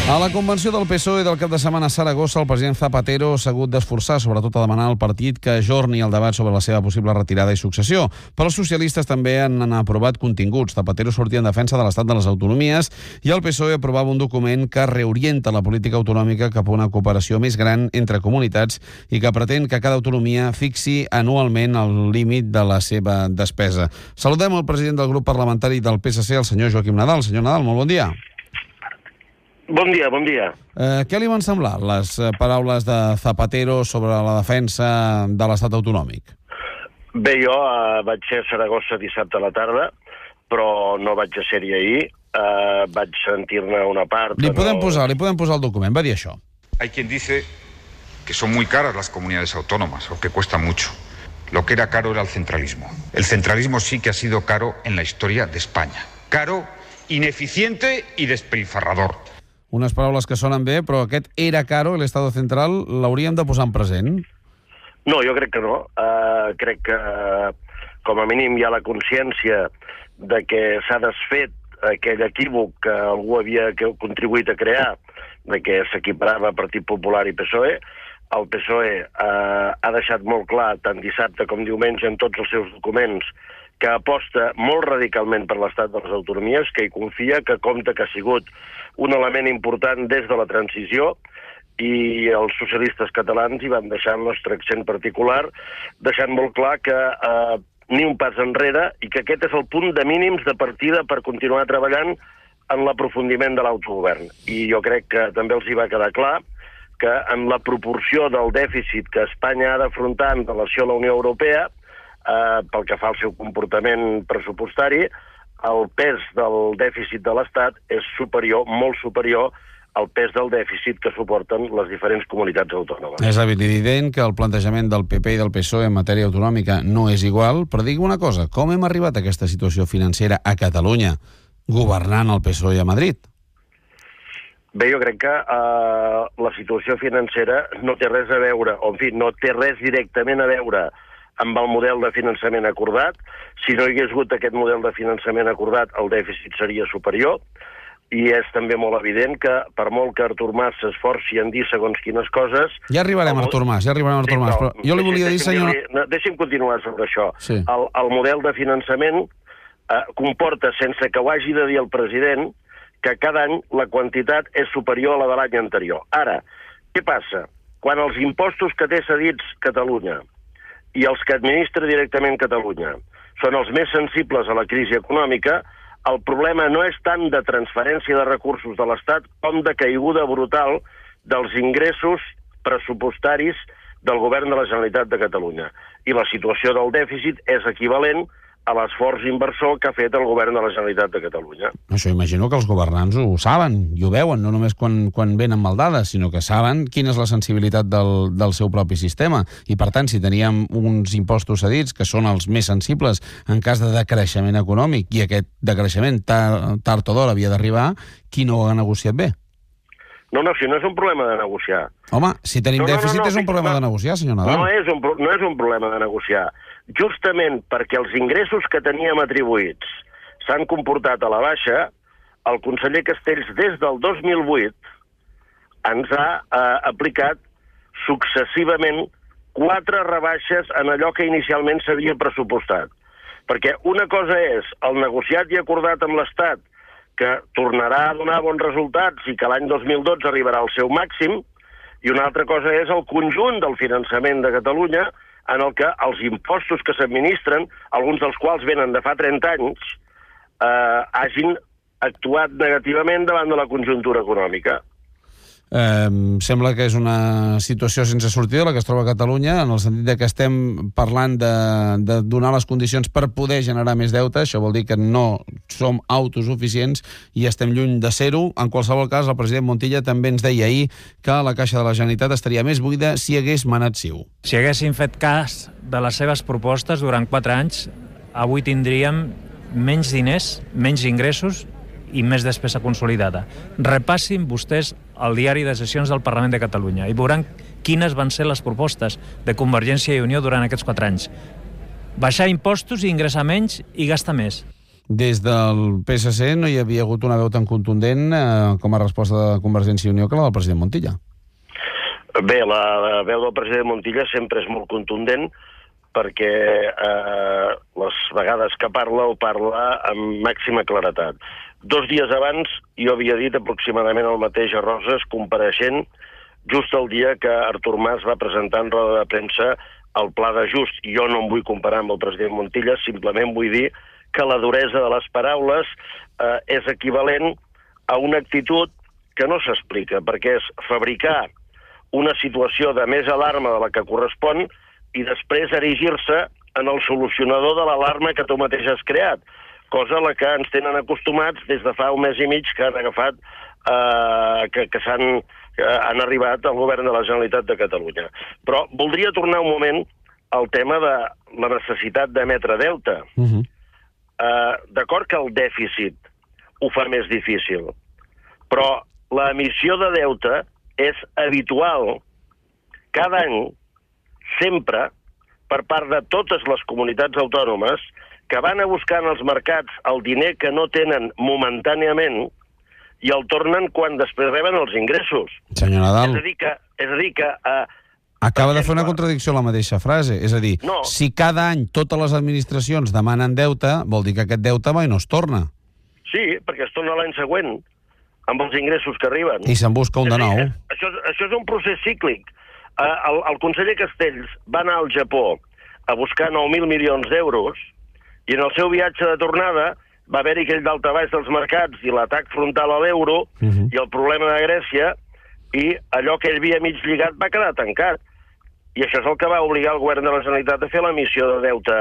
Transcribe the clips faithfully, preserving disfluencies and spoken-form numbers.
A la convenció del P S O E del cap de setmana a Saragossa, el president Zapatero s'ha hagut d'esforçar, sobretot a demanar al partit que ajorni el debat sobre la seva possible retirada i successió. Però els socialistes també han aprovat continguts. Zapatero sortia en defensa de l'estat de les autonomies i el P S O E aprovava un document que reorienta la política autonòmica cap a una cooperació més gran entre comunitats i que pretén que cada autonomia fixi anualment el límit de la seva despesa. Saludem el president del grup parlamentari del P S C, el senyor Joaquim Nadal. Senyor Nadal, molt bon dia. Bon dia, bon dia. Eh, què li van semblar les paraules de Zapatero sobre la defensa de l'estat autonòmic? Bé, jo eh, vaig ser a Saragossa dissabte a la tarda, però no vaig ser-hi ahir. Eh, vaig sentir-ne una part... Li podem, no... posar, li podem posar el document, va dir això. Hay quien dice que son muy caras las comunidades autónomas, o que cuestan mucho. Lo que era caro era el centralismo. El centralismo sí que ha sido caro en la historia de España. Caro, ineficiente y despilfarrador. Unes paraules que sonen bé, però aquest era caro, l'Estado central, l'hauríem de posar en present? No, jo crec que no. Uh, crec que, uh, com a mínim, hi ha la consciència de que s'ha desfet aquell equívoc que algú havia contribuït a crear, de que s'equiparava Partit Popular i P S O E. El P S O E uh, ha deixat molt clar, tant dissabte com diumenge, en tots els seus documents, que aposta molt radicalment per l'estat de les autonomies, que hi confia, que compta que ha sigut un element important des de la transició, i els socialistes catalans hi van deixar el nostre accent particular, deixant molt clar que eh, ni un pas enrere i que aquest és el punt de mínims de partida per continuar treballant en l'aprofundiment de l'autogovern. I jo crec que també els hi va quedar clar que en la proporció del dèficit que Espanya ha d'afrontar en relació a la Unió Europea, eh, pel que fa al seu comportament pressupostari, el pes del dèficit de l'Estat és superior, molt superior, al pes del dèficit que suporten les diferents comunitats autònomes. És evident que el plantejament del P P i del P S O E en matèria autonòmica no és igual, però digui una cosa, com hem arribat a aquesta situació financera a Catalunya, governant el P S O E a Madrid? Bé, jo crec que eh, la situació financera no té res a veure, o en fi, no té res directament a veure amb el model de finançament acordat. Si no hi hagués hagut aquest model de finançament acordat, el dèficit seria superior, i és també molt evident que, per molt que Artur Mas s'esforci en dir segons quines coses... Ja arribarem, el... Artur Mas, ja arribarem, Artur Mas, però jo li volia dir, senyor... No, deixi'm continuar sobre això. Sí. El, el model de finançament eh, comporta, sense que ho hagi de dir el president, que cada any la quantitat és superior a la de l'any anterior. Ara, què passa? Quan els impostos que té cedits Catalunya i els que administra directament Catalunya són els més sensibles a la crisi econòmica, el problema no és tant de transferència de recursos de l'Estat com de caiguda brutal dels ingressos pressupostaris del govern de la Generalitat de Catalunya. I la situació del dèficit és equivalent a l'esforç inversor que ha fet el govern de la Generalitat de Catalunya. Això imagino que els governants ho saben i ho veuen, no només quan, quan venen mal dades, sinó que saben quina és la sensibilitat del, del seu propi sistema. I, per tant, si teníem uns impostos cedits que són els més sensibles en cas de decreixement econòmic i aquest decreixement tard, tard o d'hora havia d'arribar, qui no ho ha negociat bé? No, no, si no és un problema de negociar. Home, si tenim no, no, dèficit no, no, és un problema no, de negociar, senyor Nadal. No és, un, no és un problema de negociar. Justament perquè els ingressos que teníem atribuïts s'han comportat a la baixa, el conseller Castells des del dos mil vuit ens ha eh, aplicat successivament quatre rebaixes en allò que inicialment s'havia pressupostat. Perquè una cosa és el negociat i acordat amb l'Estat, que tornarà a donar bons resultats i que l'any dos mil dotze arribarà al seu màxim, i una altra cosa és el conjunt del finançament de Catalunya, en el que els impostos que s'administren, alguns dels quals venen de fa trenta anys, eh, hagin actuat negativament davant de la conjuntura econòmica. Eh, sembla que és una situació sense sortida la que es troba a Catalunya, en el sentit de que estem parlant de, de donar les condicions per poder generar més deute. Això vol dir que no som autosuficients i estem lluny de ser-ho. En qualsevol cas, el president Montilla també ens deia ahir que la caixa de la Generalitat estaria més buida si hagués manat Ciu. Si haguéssim fet cas de les seves propostes durant quatre anys, avui tindríem menys diners, menys ingressos i més despesa consolidada. Repassin vostès el diari de sessions del Parlament de Catalunya i veuran quines van ser les propostes de Convergència i Unió durant aquests quatre anys. Baixar impostos i ingressar menys i gastar més. Des del P S C no hi havia hagut una veu tan contundent eh, com a resposta de Convergència i Unió que la del president Montilla. Bé, la veu del president Montilla sempre és molt contundent perquè eh, les vegades que parla ho parla amb màxima claretat. Dos dies abans jo havia dit aproximadament el mateix a Roses, compareixent just el dia que Artur Mas va presentar en roda de premsa el pla d'ajust. Jo no em vull comparar amb el president Montilla, simplement vull dir que la duresa de les paraules eh, és equivalent a una actitud que no s'explica, perquè és fabricar una situació de més alarma de la que correspon i després erigir-se en el solucionador de l'alarma que tu mateix has creat, cosa a la que ens tenen acostumats des de fa un mes i mig que han agafat, eh, que, que s'han que han arribat al govern de la Generalitat de Catalunya. Però voldria tornar un moment al tema de la necessitat d'emetre deute. Uh-huh. eh, D'acord que el dèficit ho fa més difícil, però l'emissió de deute és habitual cada any, sempre, per part de totes les comunitats autònomes que van a buscar en els mercats el diner que no tenen momentàniament i el tornen quan després reben els ingressos. Senyor Nadal... És a dir que... És a dir que uh, acaba de fer una contradicció a la mateixa frase. És a dir, no. Si cada any totes les administracions demanen deute, vol dir que aquest deute mai no es torna. Sí, perquè es torna l'any següent, amb els ingressos que arriben. I se'n busca un de nou. Dir, això, això és un procés cíclic. Uh, el, el conseller Castells va anar al Japó a buscar nou mil milions d'euros i en el seu viatge de tornada va haver-hi aquell daltabaix dels mercats i l'atac frontal a l'euro uh-huh. i el problema de Grècia, i allò que ell havia mig lligat va quedar tancat. I això és el que va obligar el govern de la Generalitat a fer l'emissió de deute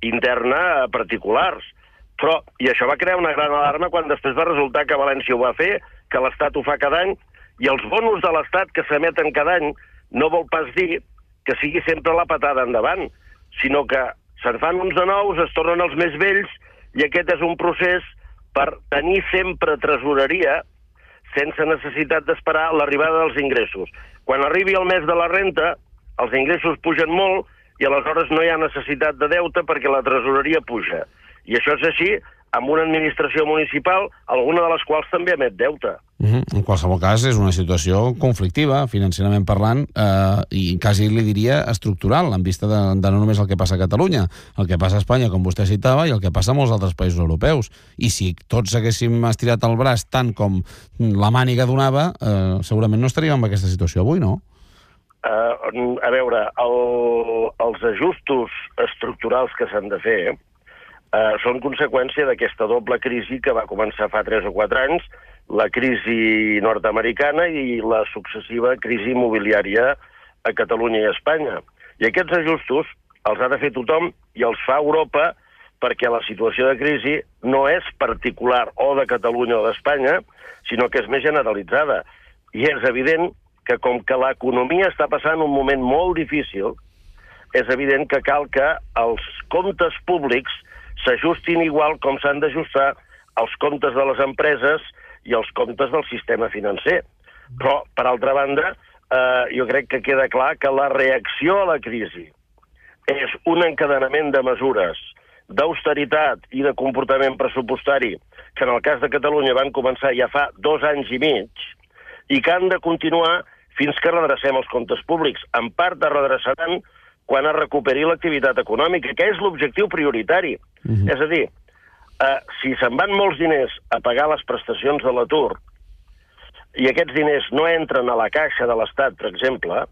interna a particulars. Però, i això va crear una gran alarma quan després va resultar que València ho va fer, que l'Estat ho fa cada any, i els bonus de l'Estat que s'emeten cada any no vol pas dir que sigui sempre la patada endavant, sinó que se'n fan uns de nous, es tornen els més vells, i aquest és un procés per tenir sempre tresoreria sense necessitat d'esperar l'arribada dels ingressos. Quan arribi el mes de la renta, els ingressos pugen molt i aleshores no hi ha necessitat de deute perquè la tresoreria puja. I això és així amb una administració municipal, alguna de les quals també emet deute. Uh-huh. En qualsevol cas, és una situació conflictiva, financerament parlant, eh, i quasi li diria estructural, en vista de, de no només el que passa a Catalunya, el que passa a Espanya, com vostè citava, i el que passa a molts altres països europeus. I si tots haguéssim estirat el braç tant com la màniga donava, eh, segurament no estaríem en aquesta situació avui, no? Uh, a veure, el, els ajustos estructurals que s'han de fer Uh, són conseqüència d'aquesta doble crisi que va començar fa tres o quatre anys, la crisi nord-americana i la successiva crisi immobiliària a Catalunya i a Espanya. I aquests ajustos els ha de fer tothom i els fa Europa perquè la situació de crisi no és particular o de Catalunya o d'Espanya, sinó que és més generalitzada. I és evident que com que l'economia està passant un moment molt difícil, és evident que cal que els comptes públics s'ajustin igual com s'han d'ajustar els comptes de les empreses i els comptes del sistema financer. Però, per altra banda, eh, jo crec que queda clar que la reacció a la crisi és un encadenament de mesures d'austeritat i de comportament pressupostari que en el cas de Catalunya van començar ja fa dos anys i mig i que han de continuar fins que redrecem els comptes públics. En part es redreçaran quan es recuperi l'activitat econòmica, que és l'objectiu prioritari. Uh-huh. És a dir, eh, si se'n van molts diners a pagar les prestacions de l'atur i aquests diners no entren a la caixa de l'Estat, per exemple,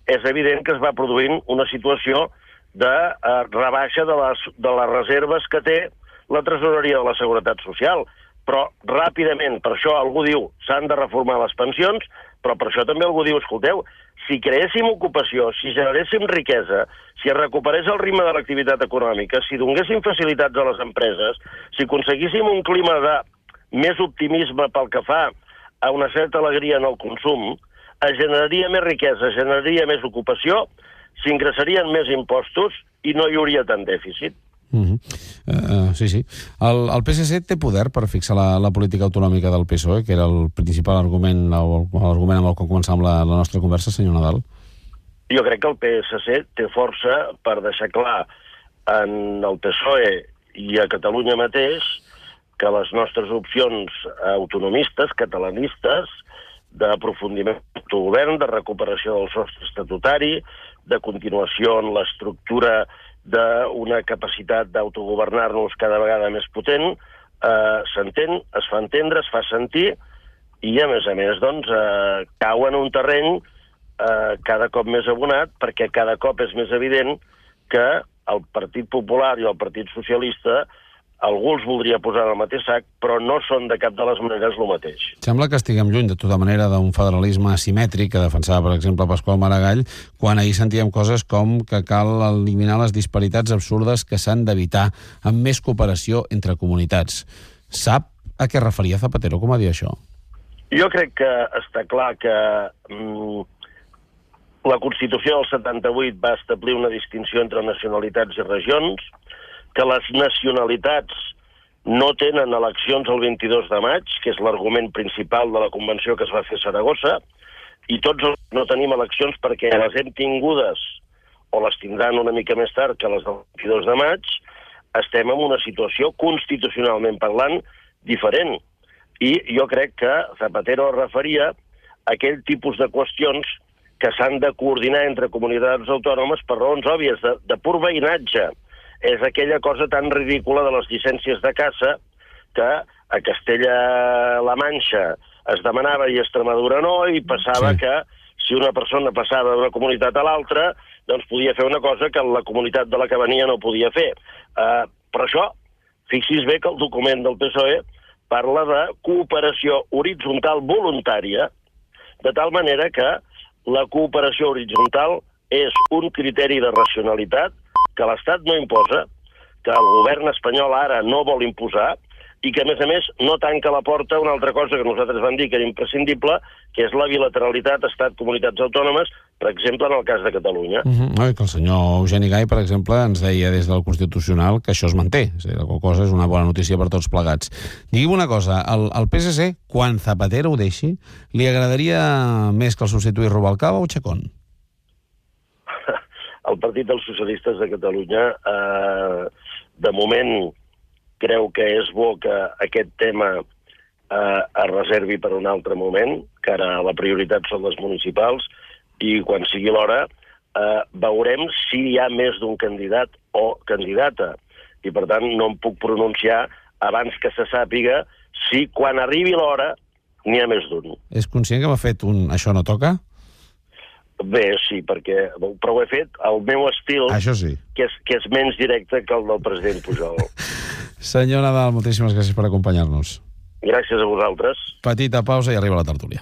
és evident que es va produint una situació de eh, rebaixa de les, de les reserves que té la tresoreria de la Seguretat Social. Però ràpidament, per això algú diu s'han de reformar les pensions, però per això també algú diu, escolteu, si creéssim ocupació, si generéssim riquesa, si es recuperés el ritme de l'activitat econòmica, si donéssim facilitats a les empreses, si aconseguíssim un clima de més optimisme pel que fa a una certa alegria en el consum, es generaria més riquesa, es generaria més ocupació, s'ingressarien més impostos i no hi hauria tant dèficit. Uh-huh. uh, sí, sí. El, el P S C té poder per fixar la, la política autonòmica del P S O E, que era el principal argument, l'argument amb el que començàvem la, la nostra conversa, senyor Nadal? Jo crec que el P S C té força per deixar clar en el P S O E i a Catalunya mateix que les nostres opcions autonomistes, catalanistes, d'aprofundiment d'autogovern, de recuperació del sostre estatutari, de continuació en l'estructura d'una capacitat d'autogovernar-nos cada vegada més potent, eh, s'entén, es fa entendre, es fa sentir, i a més a més doncs, eh, cau en un terreny eh, cada cop més abonat, perquè cada cop és més evident que el Partit Popular i el Partit Socialista algú els voldria posar en el mateix sac, però no són de cap de les maneres el mateix. Sembla que estiguem lluny, de tota manera, d'un federalisme asimètric que defensava, per exemple, Pasqual Maragall, quan ahir sentíem coses com que cal eliminar les disparitats absurdes que s'han d'evitar amb més cooperació entre comunitats. Sap a què referia Zapatero, com a dir això? Jo crec que està clar que mm, la Constitució del setanta-vuit va establir una distinció entre nacionalitats i regions, que les nacionalitats no tenen eleccions el vint-i-dos de maig, que és l'argument principal de la convenció que es va fer a Saragossa, i tots els no tenim eleccions perquè les hem tingudes, o les tindran una mica més tard que les del vint-i-dos de maig, estem en una situació constitucionalment parlant diferent. I jo crec que Zapatero es referia a aquell tipus de qüestions que s'han de coordinar entre comunitats autònomes per raons òbvies, de, de pur veïnatge. És aquella cosa tan ridícula de les llicències de caça que a Castella-La Manxa es demanava i a Extremadura no, i passava sí. que si una persona passava d'una comunitat a l'altra, doncs podia fer una cosa que la comunitat de la que venia no podia fer. Uh, però això, fixi's bé que el document del P S O E parla de cooperació horitzontal voluntària, de tal manera que la cooperació horitzontal és un criteri de racionalitat que l'Estat no imposa, que el govern espanyol ara no vol imposar, i que, a més a més, no tanca la porta a una altra cosa que nosaltres vam dir que era imprescindible, que és la bilateralitat Estat-Comunitats Autònomes, per exemple, en el cas de Catalunya. Uh-huh. No, que el senyor Eugeni Gai, per exemple, ens deia des del Constitucional que això es manté. És a dir, la qual cosa és una bona notícia per tots plegats. Digui'm una cosa, el, el P S C, quan Zapatero ho deixi, li agradaria més que el substituís Rubalcaba o Chacón? El Partit dels Socialistes de Catalunya, eh, de moment, creu que és bo que aquest tema eh, es reservi per un altre moment, que ara la prioritat són les municipals, i quan sigui l'hora eh, veurem si hi ha més d'un candidat o candidata. I, per tant, no em puc pronunciar abans que se sàpiga si, quan arribi l'hora, n'hi ha més d'un. És conscient que m'ha fet un «això no toca»? Bé, sí, perquè, però ho he fet al meu estil, això sí. que, és, que és menys directe que el del president Pujol. Senyor Nadal, moltíssimes gràcies per acompanyar-nos. Gràcies a vosaltres. Petita pausa i arriba la tertúlia.